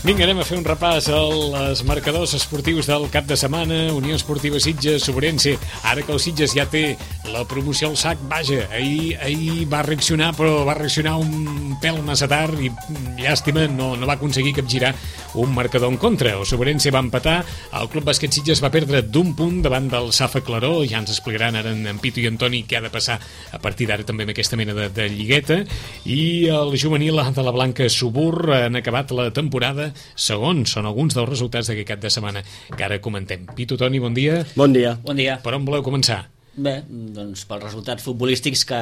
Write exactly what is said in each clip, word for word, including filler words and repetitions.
Vinga, anem a fer un repàs als marcadors esportius del cap de setmana. Unió Esportiva Sitges, Sobrense. Ara que el Sitges ja té la promoció al sac, vaja, ahir, ahir va reaccionar, però va reaccionar un pèl massa tard i, llàstima, no, no va aconseguir capgirar un marcador en contra. El Sobrense va empatar, el Club Bàsquet Sitges va perdre d'un punt davant del Safa Claró. Ja ens explicaran ara en Pitu i Antoni què ha de passar a partir d'ara també amb aquesta mena de, de lligueta. I el juvenil de la Blanca Subur han acabat la temporada segons. Són alguns dels resultats d'aquest cap de setmana que ara comentem. Pitu, Toni, bon dia. Bon dia. Bon dia. Per on voleu començar? Bé, doncs pels resultats futbolístics que,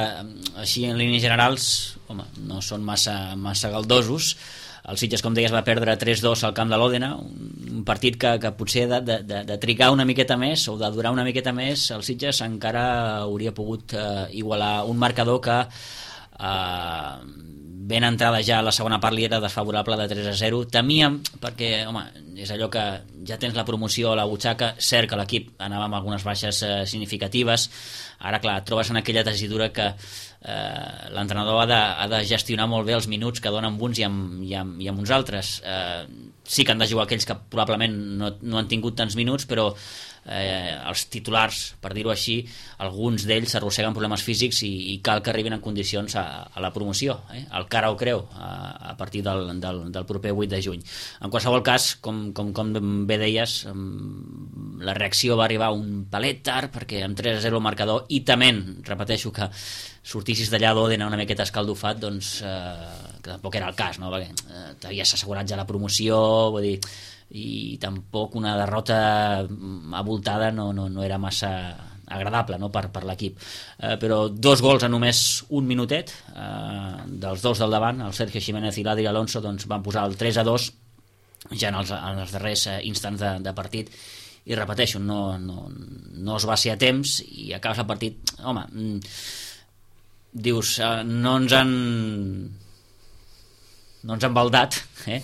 així en línies generals, home, no són massa, massa galdosos. El Sitges, com deies, va perdre tres dos al camp de l'Òdena, un partit que, que potser de, de, de trigar una miqueta més o de durar una miqueta més, el Sitges encara hauria pogut eh, igualar un marcador que eh, ben entrada ja a la segona part li era desfavorable de tres a zero. Temíem, perquè, home, és allò que ja tens la promoció a la butxaca, cert que l'equip anava amb algunes baixes eh, significatives, ara, clar, et trobes en aquella tesidura que eh, l'entrenador ha de, ha de gestionar molt bé els minuts que donen amb uns i amb, i amb, i amb uns altres. Eh, sí que han de jugar aquells que probablement no, no han tingut tants minuts, però eh, els titulars, per dir-ho així, alguns d'ells s'arrosseguen problemes físics i, i cal que arribin en condicions a, a la promoció, eh? El cara ho creu, a, a partir del, del, del proper vuit de juny. En qualsevol cas, com, com, com bé deies, la reacció va arribar un palet tard, perquè amb tres a zero el marcador, i tement, repeteixo, que sortissis d'allà d'Òdena una miqueta escaldofat, doncs eh, que tampoc era el cas, no? Perquè eh, t'havies assegurat ja la promoció, vull dir, i tampoc una derrota avoltada no, no, no era massa agradable, no? per, per l'equip, eh, però dos gols en només un minutet, eh, dels dos del davant, el Sergio Jiménez i l'Adri Alonso, doncs van posar el tres a dos ja en els, en els darrers instants de, de partit, i repeteixo, no, no, no es va ser a temps i acabes el partit, home, dius, eh, no ens han no ens han baldat, eh?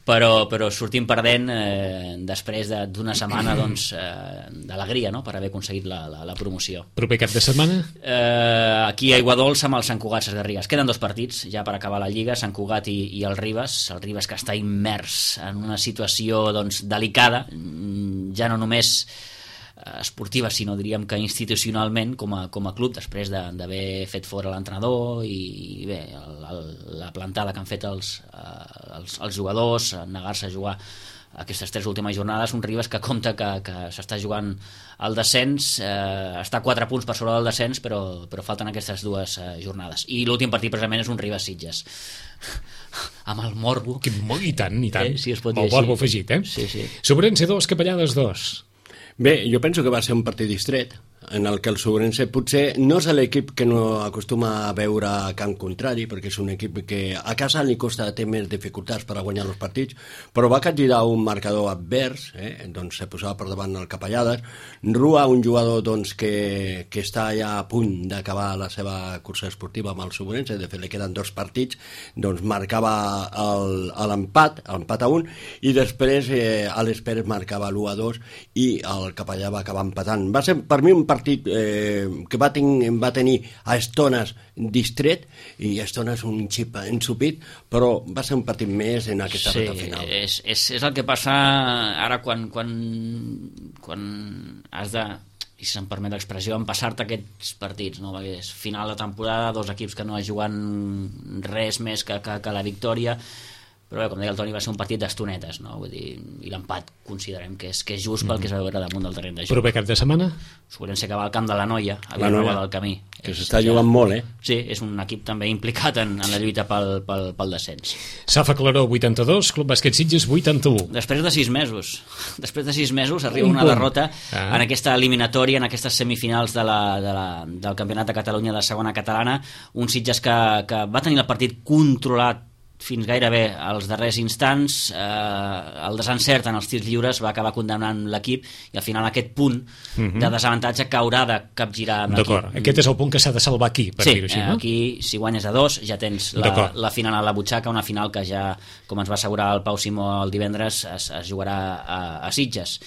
però, però sortim perdent eh, després d'una setmana doncs, eh, d'alegria, no? Per haver aconseguit la, la, la promoció. Proper cap de setmana? Eh, aquí a Aiguadols amb el Sant Cugat Sesgarrigues. Queden dos partits ja per acabar la Lliga, Sant Cugat i, i el Ribes. El Ribes que està immers en una situació doncs, delicada, ja no només esportiva, sinó diríem que institucionalment com a, com a club, després d'haver fet fora l'entrenador i, i bé, el, el, la plantada que han fet els, els, els jugadors, negar-se a jugar aquestes tres últimes jornades. Un Ribes que compta que, que s'està jugant el descens, eh, està a quatre punts per sobre del descens, però, però falten aquestes dues eh, jornades, i l'últim partit precisament és un Ribes Sitges amb el morbo que, I tant, i tant, eh, si es pot dir el morbo afegit, eh? Sí, sí. Sobrense dos, Capellades dos. Bé, jo penso que va ser un partit distret, en el que el Sobrense potser no és l'equip que no acostuma a veure a camp contrari, perquè és un equip que a casa li costa té més dificultats per a guanyar els partits, però va capgirar un marcador advers, eh? Doncs se posava per davant el Capellades. Rua, un jugador doncs, que, que està ja a punt d'acabar la seva cursa esportiva amb el Sobrense, de fet li queden dos partits, doncs marcava l'empat, l'empat a un, i després eh, Àlex Pérez marcava l'u a dos i el Capellà va acabar empatant. Va ser per mi un partit eh, que va, ten, va tenir a estones distret i a estones un xip ensupit, però va ser un partit més en aquesta sí, reta final. És, és, és el que passa ara quan, quan, quan has de, i si se'm permet l'expressió, empassar-te aquests partits, no? Perquè és final de temporada, dos equips que no juguen res més que, que, que la victòria, però bé, com deia el Toni, va ser un partit d'estonetes, no? Vull dir, i l'empat considerem que és, que és just pel que es va veure damunt del terreny de joc. Proper cap de setmana? Sobrense que va al camp de la Noia, a la Noia del camí, que s'està jugant molt, eh? Sí, és un equip també implicat en, en la lluita pel, pel, pel descens. Safa Claró vuitanta-dos, Club Bàsquet Sitges vuitanta-u. Després de sis mesos després de sis mesos arriba una derrota ah. en aquesta eliminatòria, en aquestes semifinals de la, de la, del Campionat de Catalunya de segona catalana, un Sitges que, que va tenir el partit controlat fins gairebé als darrers instants, eh, el desencert en els tirs lliures va acabar condemnant l'equip i al final aquest punt uh-huh. de desavantatge que haurà de capgirar amb l'equip. D'acord, aquest és el punt que s'ha de salvar aquí, per sí, dir-ho així, eh, no? Aquí si guanyes a dos ja tens la, la final a la butxaca, una final que ja, com ens va assegurar el Pau Simó el divendres, es, es jugarà a, a Sitges.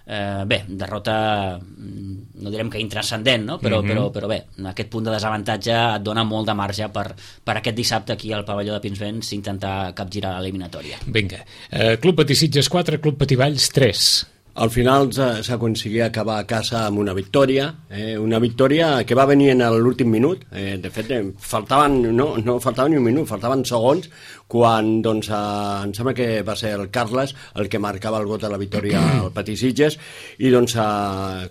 Eh, bé, derrota no direm que intranscendent, no? però, mm-hmm. però, però bé, aquest punt de desavantatge et dona molt de marge per, per aquest dissabte aquí al pavelló de Pinsbens intentar capgirar l'eliminatòria. Vinga, eh, Club Patí Sitges quatre, Club Patí Valls tres. Al final s'aconseguia acabar a casa amb una victòria, eh, una victòria que va venir en l'últim minut. Eh, de fet, eh, faltaven, no, no faltava ni un minut, faltaven segons, quan doncs, eh, em sembla que va ser el Carles el que marcava el gol de la victòria al Patí Sitges, i doncs eh,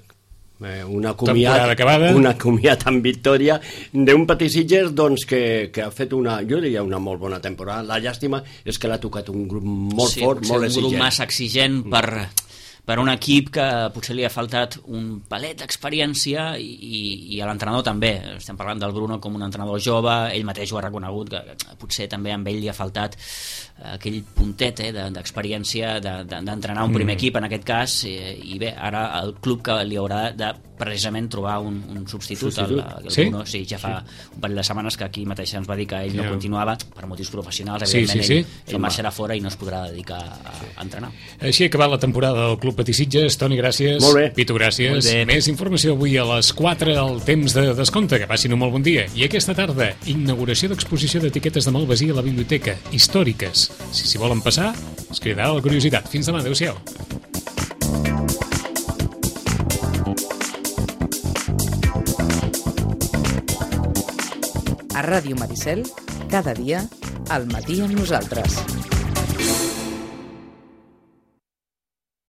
una comiat, una comiat amb victòria d'un Patí Sitges doncs, que, que ha fet una, jo diria, una molt bona temporada. La llàstima és que l'ha tocat un grup molt sí, fort, molt exigent. Un grup massa exigent per... per un equip que potser li ha faltat un palet d'experiència i, i, i a l'entrenador també. Estem parlant del Bruno com un entrenador jove, ell mateix ho ha reconegut, que, que potser també amb ell li ha faltat aquell puntet eh, d'experiència de, de, d'entrenar un primer mm. equip en aquest cas, i, i bé, ara el club que li haurà de precisament trobar un, un substitut, substitut. El, el sí? Bruno, sí, ja fa sí. un parell de setmanes que aquí mateix ens va dir que ell yeah. no continuava per motius professionals, evidentment sí, sí, sí. ell, ell marxarà fora i no es podrà dedicar a, a entrenar. Així ha acabat la temporada del Club Patí Sitges. Toni, gràcies. Molt bé. Pitu, gràcies. Més informació avui a les quatre al temps de descompte. Que passin un molt bon dia. I aquesta tarda, inauguració d'exposició d'etiquetes de Malvasí a la biblioteca, històriques. Si s'hi volen passar, us cridarà la curiositat. Fins demà, adeu-siau. A Ràdio Maricel, cada dia, al matí amb nosaltres.